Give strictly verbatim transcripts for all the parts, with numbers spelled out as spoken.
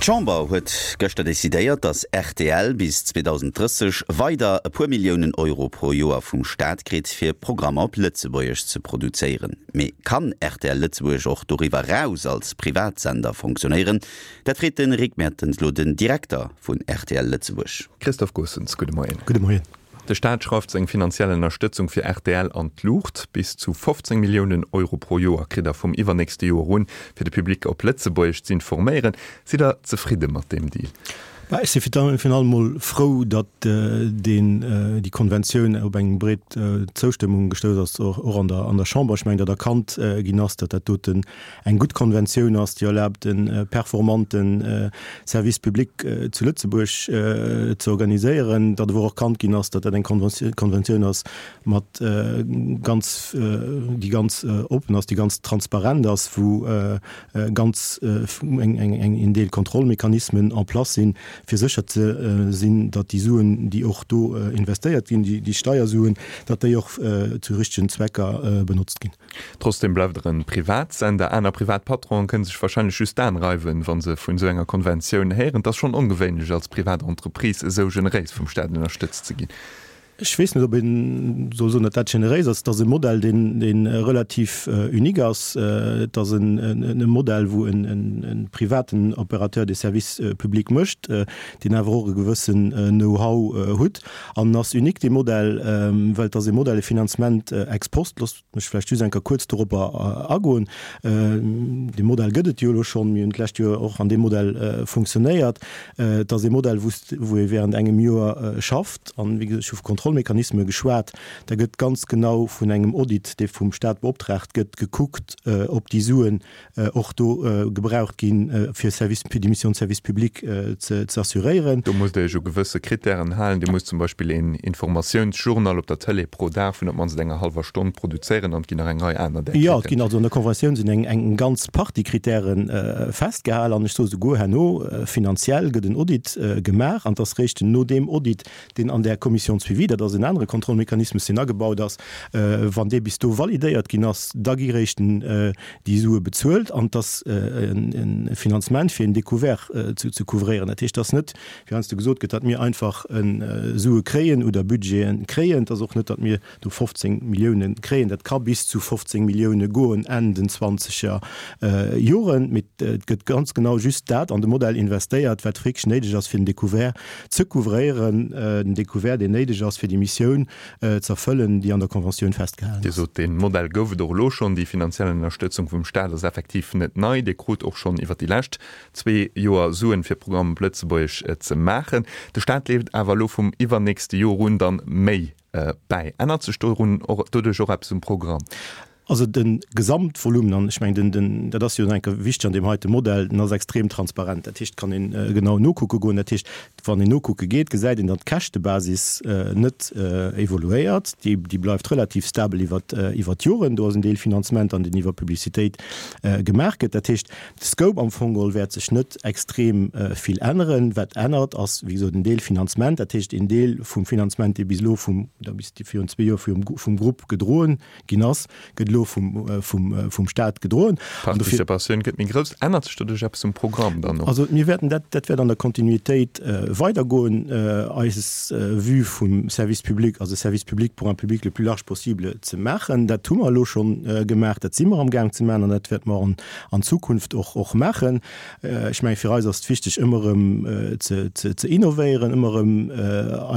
D'Chamber huet gëschter decidéiert, datt rtl bis zweedausenddrësseg weider e puer Milliounen Euro pro Joer vum Staat kritt, fir Programmer op Lëtzebuergesch ze produzéieren. Mee kann rtl Lëtzebuerg och doriwwer eraus als Privatsender fonctionéieren? Dat freet de Rick Mertens lo den Direkter vun rtl Lëtzebuerg. Christophe Goossens, gudde Moien. Gudde Moien. De Staat schrauft seng finanziell Ënnerstëtzung fir rtl an d'Luucht. Bis zu fofzéng Milliounen Euro pro Joer kritt der vum iwwernächste Joer un, fir de Public op Lëtzebuergesch z'informéieren. Sidd der zefridde mat deem Deal? Bah, ech si virun allem mol frou, datt deen, déi Konventioun op eng breet Zoustëmmung gestouss ass, och an der, an der Chamber. Ech mengen, datt erkannt ginn ass, datt dat doten eng gutt Konventioun ass, déi erlaabt, e performante Service public zu Lëtzebuerg ze organiséieren, datt awer och erkannt ginn ass, datt dat eng Konventioun ass mat ganz, déi ganz oppen ass, déi ganz transparent ass, wou ganz eng, eng, en Deel Kontrollmechanismen en place sinn, fir sécher ze sinn, datt déi Suen, déi och do investéiert ginn, déi Steiersuen, datt déi och zu richtegen Zwecker benotzt ginn. Trotzdem bleift Der e Privatsender. Aner privat Patronen kënne sech wahrscheinlech just d'Aen reiwen, wa se vun esou enger Konventioun héieren. Et ass schonn ongewéinlech, als privat Entreprise esou generéis vum Staat ënnerstëtzt ze ginn. Ech weess net, ob ee soll soen, datt dat generéis ass. Et ass e Modell, deen, dee relativ unique ass. Et ass en Modell, wou e privaten Opérateur de service public mécht, deen awer och e gewëssen Know-how hutt. An en ass unique, dee Modell, well et ass e Modell, e Finanzement ex post. Loosst mech vläicht just eng Kéier kuerz doropper agoen. Dee Modell gëtt et jo elo schonn. Mir hunn d'lescht Joer och an deem Modell funktionéiert. Et ass e Modell, wou ee während engem Joer schafft. An, wéi gesot, ech hu vu Kontrollmechanisme geschwat. Da gëtt ganz genau vun engem Audit, dee vum Stat beoptraagt gëtt, gekuckt, ob déi Suen och do gebraucht ginn, fir Service, fir déi Mission de service public ze assuréieren. Do musst Der Iech u gewësse Krittären halen. Dir musst zum Beispill een Informatiounsjournal op der Tëlee pro Dag vun op d'mannst enger hallwer Stonn produzéieren an et ginn nach eng Rei aner där Krittären. Jo, et ginn also an der Konventioun sinn eng eng ganz Partie Krittäre festgehal an ech soe souguer herno, finanziell gëtt en Audit gemaach an et ass réischt no deem Audit, deen an där Commission de suivi, dat ass en anere Kontrollmechanismus, deen agebaut ass, wann dee bis do validéiert ginn ass, da gi réischt déi Sue bezuelt an et ass e Finanzement fir en Découvert ze couvréieren. Dat heescht, et ass net, wéi heiansdo gesot gëtt, datt mir einfach Sue kréien oder Budgete kréien. Et ass och net, datt mir do fofzéng Millioune kréien. Dat ka bis zu fofzéng Millioune goen Enn den zwanzeger Joren. Mee et gëtt ganz genau just dat an de Modell investéiert, wat wierklech néideg ass, fir den Découvert ze couvréieren, den Découvert, deen néideg ass, fir déi Missioun ze erfëllen, déi an der Conventioun festgehalen Dir ass. sot, dee Modell gouf et och elo schonn. Déi finanziell Ënnerstëtzung vum Staat ass effektiv net nei. Dir krut och schonn iwwer déi lescht zwee Joer Suen, fir Programm op Lëtzebuergesch ze maachen. De Staat leeft awer elo vum iwwernächste Joer un dann méi bäi. Ännert sech dorun och doduerch och eppes um Programm? Also de Gesamtvolumen, an ech mengen, den, dat ass jo nach eng Kéier wichteg an deem heite Modell, den ass extrem transparent. Dat heescht, et kann een genau nokucke goen. Dat heescht, wann een nokucke geet, gesäit een, datt d'Käschtebasis net evoluéiert. Déi, déi bleift relativ stabel iwwert, iwwert d'Joren. Do ass en Deel Finanzement an deen iwwer Publicitéit gemaach gëtt. Dat heescht, de Scope am Fong geholl wäert sech net extrem vill änneren. Wat ännert, ass, wéi gesot, en Deel Finanzement, dat heescht een Deel vum Finanzement, dee bis elo vum, oder bis virun zwee Joer vum, vum Grupp gedroen ginn ass, gëtt elo vum, vum, vum Staat gedroen. D'Participatioun gëtt méi grouss. Ännert sech doduerch eppes um Programm dann och? Also mir wäerten dat, dat wäert an der Kontinuitéit weidergoen. Eis Vue vum Service public ass e Service public pour un public le plus large possible ze maachen. Dat hu mer elo schonn gemaach, dat si mer amgaang ze maachen an dat wäerte mer an, an Zukunft och, och maachen. Ech mengen, fir eis ass et wichteg, ëmmer erëm ze, ze, ze innovéieren, ëmmer erëm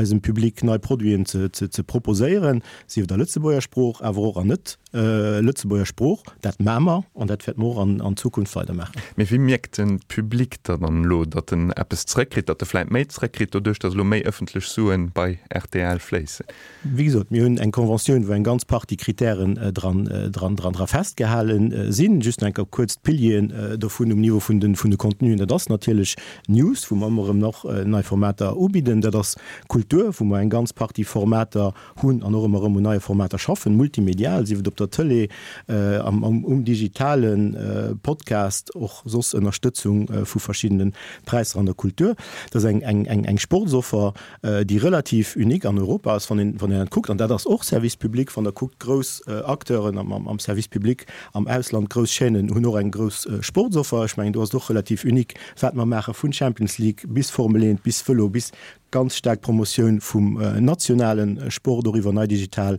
eisem Public nei Produiten ze, ze, ze proposéieren, sief et a Lëtzebuerger Sprooch, awer och an net Lëtzebuerger Sprooch. Dat maache mer an dat wäerte mer och an Zukunft weidermaachen. Mee wéi mierkt de Public da dann elo, datt en eppes zrëckkritt, datt e vläit méi zrëckkritt, doduerch datt elo méi ëffentlech Sue bei rtl fléissen? Wéi gesot, mir hunn eng Conventioun, wou eng ganz Partie Kritären dran, dran, dran, dra festgehale sinn. Just nach eng Kéier kuerz d'Pilieren dovun um Niveau vun de, vun de Contenuen. Dat ass natierlech News, wou mer ëmmer erëm nach nei Formater ubidden. Dat ass Kultur, wou mer eng ganz Partie Formater hunn an och ëmmer erëm un neie Formater schaffen, multimedial, sief et op der Tëlee, Tëlee, am, um digitale Podcast, och soss Ënnerstëtzung vu verschiddene Präisser an der Kultur. Dat ass eng, eng, eng, eng Sportsoffer, déi relativ unique an Europa ass, wann een, wann een dat kuckt. An dat ass och Service public, wann Der kuckt, grouss Acteuren am, am, am Service public am Ausland, grouss Chaînen hunn och eng grouss Sportsoffer. Ech mengen, do ass et och relativ unique, wat mer maachen, vun Champions League bis Formel eent, bis Vëlo, bis ganz staark Promotioun vum nationale Sport, och iwwer nei digital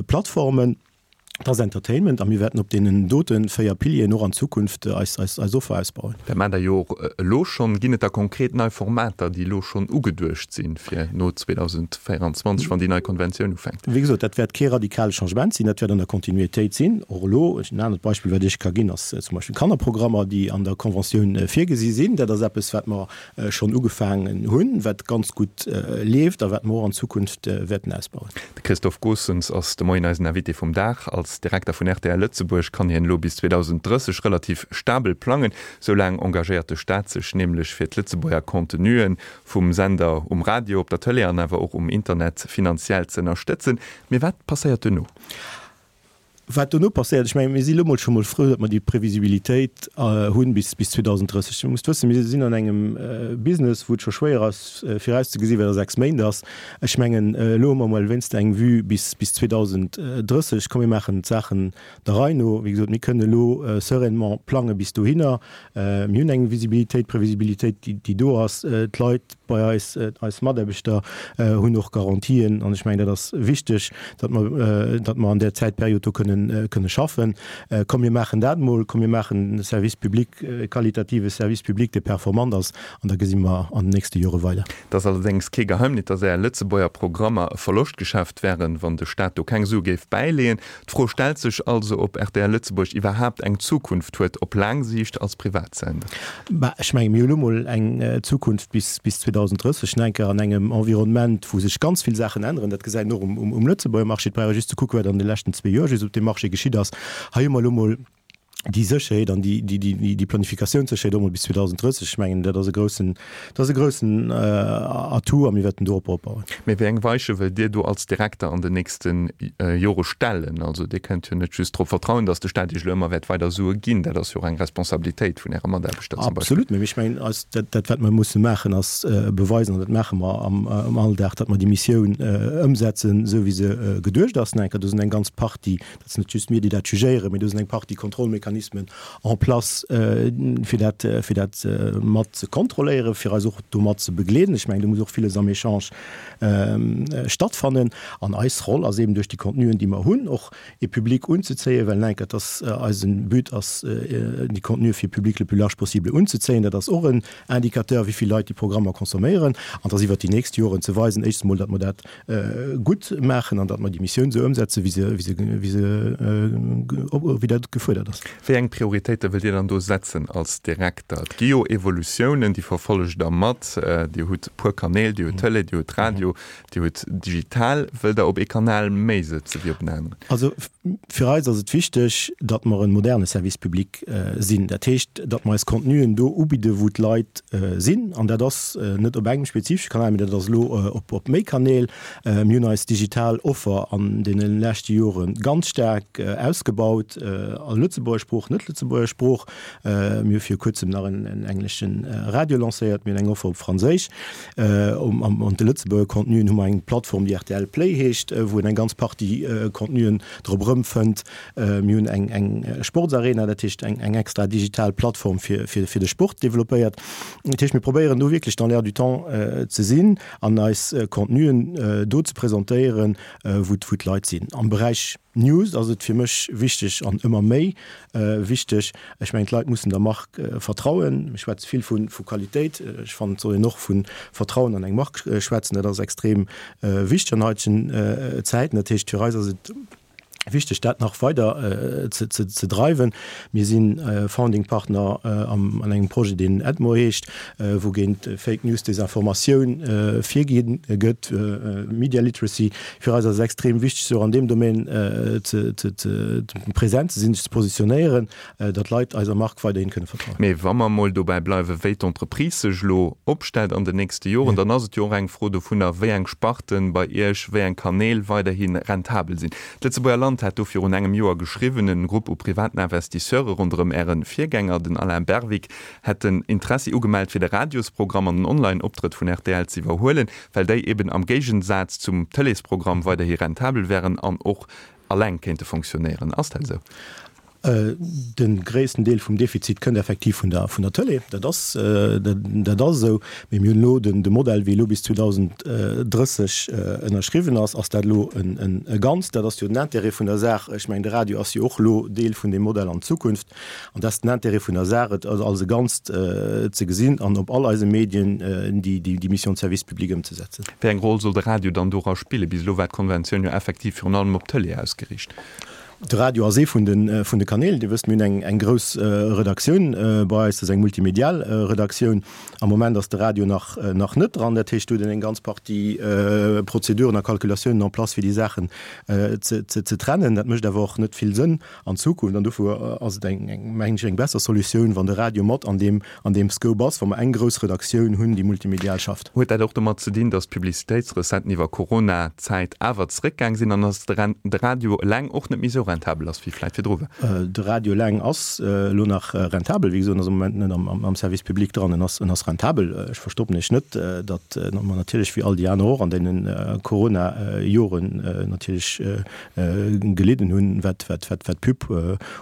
Plattformen. Dat ass Entertainment a mir wäerten op deenen dote véier Pilieren och an Zukunft eis eis Offer ausbauen. Dat maacht Der jo och elo schonn. Ginn et da konkret nei Formater, déi elo schonn ugeduecht sinn fir no zweedausendvéierundzwanzeg, wann déi nei Konventioun ufänkt? Wéi gesot, dat wäert kee radikale Changement sinn, dat wäert an der Kontinuitéit sinn. Och elo, en anert Beispill, wat ech ka ginn, ass zum Beispill Kannerprogrammer, déi an der Konventioun virgesi sinn. Dat ass eppes, wat mer schonn ugefaangen hunn, wat ganz gutt leeft a wat mer och an Zukunft wäerten ausbauen. De Christophe Goossens ass de Moien eisen Invité vum Dag. Als Direkter vun rtl Lëtzebuerg kann hien elo bis zweedausendrësseg relativ stabel plangen. Sou laang engagéiert de Staat sech nämlech fir d'Lëtzebuerger Contenuen vum Sender um Radio, op der Tëlee an awer och um Internet finanziell z'ënnerstëtzen. Mee wat passéiert duerno? Wat dono passéiert, ech mengen, mir si lo mol scho mol frou, datt mer déi Previsibilitéit hunn bis bis zweedausenddrësseg. Dir musst wëssen, mir sinn an engem Business, wou et scho schwéier ass virauszegesinn, wat a sechs Méint ass. Ech mengen, elo hu mer mol wéinst eng Vue bis bis zweedausenddrësseg. Komm, mir maachen d'Saachen der Rei no. Wéi gesot, mir kënnen elo sereinement plange bis dohinner. Mir hunn eng Visibilitéit, Previsibilitéit, déi déi do ass. D'Leit bei eis, eis Mataarbechter hunn och Garantien an ech mengen, dat ass wichteg, datt mer, datt mer an där Zäitperiod do kënnen, kënne schaffen. Komm mir maachen dat emol, komm mir maachen e Service public, e qualitative Service public, dee performant ass an da gesi mer an den nächste Jore weider. Et ass allerdéngs kee Geheimnis, datt Är Lëtzebuerger Programmer e Verloschtgeschäft wären, wann de Staat do keng Sue géif bäileeën. D'Fro stellt sech also, ob rtl Lëtzebuerg iwwerhaapt eng Zukunft huet op laang Siicht als Privatsender. Bah, ech menge mir hu lo mol eng Zukunft bis zweedausenddrësseg, nach eng Kéier an engem Environnement, wou sech ganz vill Saachen änneren. Dat gesäit een och um Lëtzebuerger Marché. Et brauch ee just ze kucken, wat an de leschten zwee Joer just op deem Marché geschitt ass. Hei hu mer elo mol déi Sécherheet an déi Planifikatiounssécherheet och mol bis zweedausenddrësseg. Ech mengen, dat ass e groussen, dat ass e groussen Atout a mir wäerten dorop opbauen. Mee wéi eng Weiche wëllt Dir do als Direkter an den nächste Jore stellen? Also Dir kënnt jo net just drop vertrauen, datt de Staat Iech elo ëmmer wäert weider Sue ginn. Dat ass jo och eng Responsabilitéit vun Äre Mataarbechter zum Beispill. Absolut, mee ech mengen, eis, dat, dat wat mer musse maachen, ass beweisen, an dat maache mer am, am Alldag, datt mer déi Missioun ëmsetzen, esou wéi se geduecht ass. Enker, do sinn eng ganz Partie, dat sinn net just mir, déi dat jugéieren, mee do sinn eng Partie Kontrollmechanismen en place, fir dat, fir dat mat ze kontrolléieren, fir eis och domat ze begleeden. Ech mengen, do muss och villes am Echange stattfannen. An eis Roll ass eben duerch déi Contenuen, déi mer hunn, och e Public unzezéien, well enker, et ass eisen But ass, déi Contenue fir Public le plus large possible unzezéien. Dat ass och en Indicateur, wéi vill Leit déi Programmer consomméieren. An et ass iwwert déi nächst Joren ze weisen, éischts emol, datt mer dat gutt maachen an datt mer déi Missioun esou ëmsetzen, wéi se, wéi se, wéi se, wéi dat gefuerdert ass. Wéi eng Prioritéite wëllt Dir dann do setzen als Direkter? Et gi jo Evolutiounen, déi verfollegt Der mat. Dir hutt e puer Kanäl, Dir hutt Tëlee, Dir hutt Radio, Dir hutt digital. Wëllt Der op ee Kanal méi sëtze wéi op en aneren? Also fir eis ass et wichteg, datt mer e moderne Service public sinn. Dat heescht, datt mer eis Contenuen do ubidde wou d'Leit sinn. An dat ass net op engem spezifesche Kanal, mee dat ass elo op méi Kanäl. Mir hunn eis digital Offer an deene leschte Jore ganz staark ausgebaut, a Lëtzebuerger Sprooch, net-Lëtzebuerger Sprooch. Mir hu viru kuerzem nach en englesche Radio lancéiert. Mir hunn eng Offer op Franséisch. An de Lëtzebuerger Contenuen hu mer eng Plattform, déi rtl Play heescht, wou een eng ganz Partie Contenuen drop erëmfënnt. Mir hunn eng eng Sportsarena, dat heescht eng eng extra digital Plattform fir fir fir de Sport developpéiert. Dat heescht, mir probéieren do wierklech dans l'air du temps ze sinn an eis Contenuen do ze presentéieren, wou wou d'Leit sinn. Am Beräich News ass et fir mech wichteg an ëmmer méi wichteg, ech mengen d'Leit mussen der Mark vertrauen. Mir schwätze vill vu vu Qualitéit, ech fannen et soll een och vu Vertrauen an eng Mark schwätzen, dat ass extrem wichteg an haitegen Zäiten. Dat heescht fir eis ass et wichteg dat nach weider ze ze dreiwen. Mir si Founding Partner am an engem Projet deen EDMO heescht, wou géint Fake News, Desinformatioun virgi gëtt, Media Literacy. Fir eis ass et extrem wichteg sech och an deem Domaine ze ze ze present ze sinn, sech ze positionéieren, datt d'Leit eiser Mark weiderhin kënne vertrauen. Mee wa mer emol dobäi bleiwen, wéi d'Entreprise sech elo opstellt an den nächste Joren, dann ass et jo och eng Fro dovunner, wéi eng Sparten bei Iech, wéi eng Kanäl weiderhi rentabel sinn. D'Lëtzebuerger Land Land hat do virun engem Joer geschriwwen, en Grupp u privaten Investisseure ronderëm Äre Virgänger, den Alain Berwick, hätten Interessi ugemellt fir de Radiosprogramm an den Online-Optrëtt vun rtl ze iwwerhuelen, well déi eben am Géigensaz zum Tëleesprogramm weiderhi rentabel wären an och alleng kéinte fonctionnéieren. Ass dat esou? De gréissten Deel vum Defizit kënnt effektiv vun der vun der Tëlee, dat ass dat ass esou. Mee mir hunn elo den de Modell, wéi elo bis zweedausend drësseg ënnerschriwwen ass, ass dat elo en e Ganzt. Dat ass jo den Intérêt vun der Saach. Ech mengen, de Radio ass jo och elo Deel vun deem Modell an Zukunft. An dat ass den Intérêt vun der Saach, et als e Ganzt ze gesinn an op all eise Medien déi déi Mission de service public ëmzesetzen. Wéi eng Roll soll de Radio dann dora spillen? Bis elo war d'Konventioun jo effektiv virun allem op d'Tëlee ausgeriicht. De Radio ass ee vun de vun de Kanäl. Dir wësst, mir hunn eng eng grouss Redaktioun bei eis, dat ass eng multimedial Redaktioun. Am Moment ass de Radio nach nach net dran. Dat heescht, do huet een eng ganz Partie Prozeduren a Calculatiounen en place, fir déi Saachen ze ze ze trennen. Dat mécht awer och net vill Sënn an Zukunft. An dofir ass et eng eng mengen ech eng besser Solutioun, wann de Radio mat an deem an deem Scope ass, wa mer eng grouss Redaktioun hunn, déi multimedial schafft. Huet dat och domat ze dinn, datt d'Publicitéitsrecetten iwwer Corona-Zäit awer zeréckgaang sinn an datt de Radio eleng och net méi esou rentabel ass, wéi vläicht virdru war? De Radio eleng ass elo nach rentabel. Wéi gesot, en ass am Moment net am Service public dran. En ass en ass rentabel. Ech verstoppen Iech net, datt mer natierlech wéi all déi aner och an deene Corona-Joren natierlech gelidden hunn, wat wat wat wat d'Pub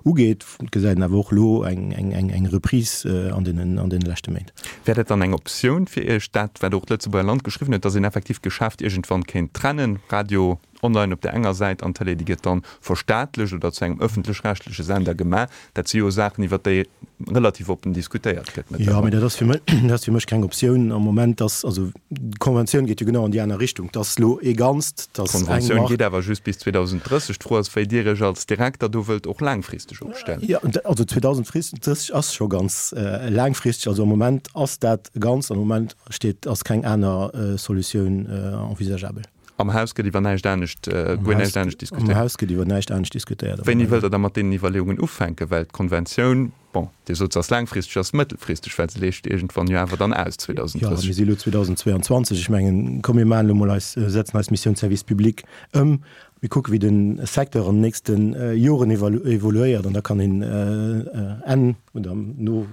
ugeet. Et gesäit een awer och elo eng eng eng Reprise an deenen an deene leschte Méint. Wär dat dann eng Optioun fir Iech, dat wat och d'Lëtzebuerger Land geschriwwen huet, datt een effektiv d'Geschäft iergendwann kéint trennen, Radio online op där enger Säit an Tëlee, déi gëtt dann verstaatlecht oder zu engem ëffentlech-rechtleche Sender gemaach? Dat si jo Saachen, iwwert déi relativ oppen diskutéiert gëtt Jo, mee mëttlerweil. dat ass fir mech, dat ass fir mech keng Optioun am Moment. Dass, also d'Konventioun geet jo genau an déi aner Richtung, dass elo ee Ganzt, dass eng D'Konventioun Mark. geet awer just bis zweedausend drësseg. D'Fro ass, wéi Dir Iech als Direkter do wëllt och laangfristeg opstellen. Jo, also zweedausend drësseg ass scho ganz laangfristeg. Also am Moment ass dat e Ganzt, am Moment steet, ass keng aner Solutioun envisageabel. Am Haus gëtt iwwer näischt anescht, guer näischt anescht diskutéiert? Am Haus gëtt iwwer näischt anescht diskutéiert. Wéini wëllt Der da mat deenen Iwwerleeungen ufänken? Well d'Konventioun, bon, Dir sot, se ass laangfristeg, ass mëttelfristeg, well se leescht iergendwann jo awer dann aus, Jo, mir si elo zweedausend zweeanzwanzeg. Ech mengen, komm mir maachen elo mol eis, setzen eis Mission de service public ëm. Mir kucken, wéi de Secteur an den nächste Joren evoluéiert an da kann een Enn oder no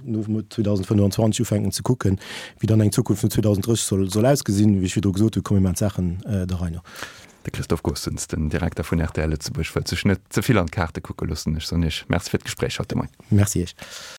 zweedausend fënnefanzwanzeg ufänken ze kucken, wéi dann eng Zukunft no zweedausend drësseg soll soll ausgesinn. Wéi ech virdru gesot hunn, komm mir maachen d'Saachen der Rei no. De Christophe Goossens, den Direkter vun rtl Lëtzebuerg, wëllt sech net ze vill an d'Kaarte kucke loossen. Ech soen Iech Merci fir d'Gespréich haut de Moien. Merci Iech.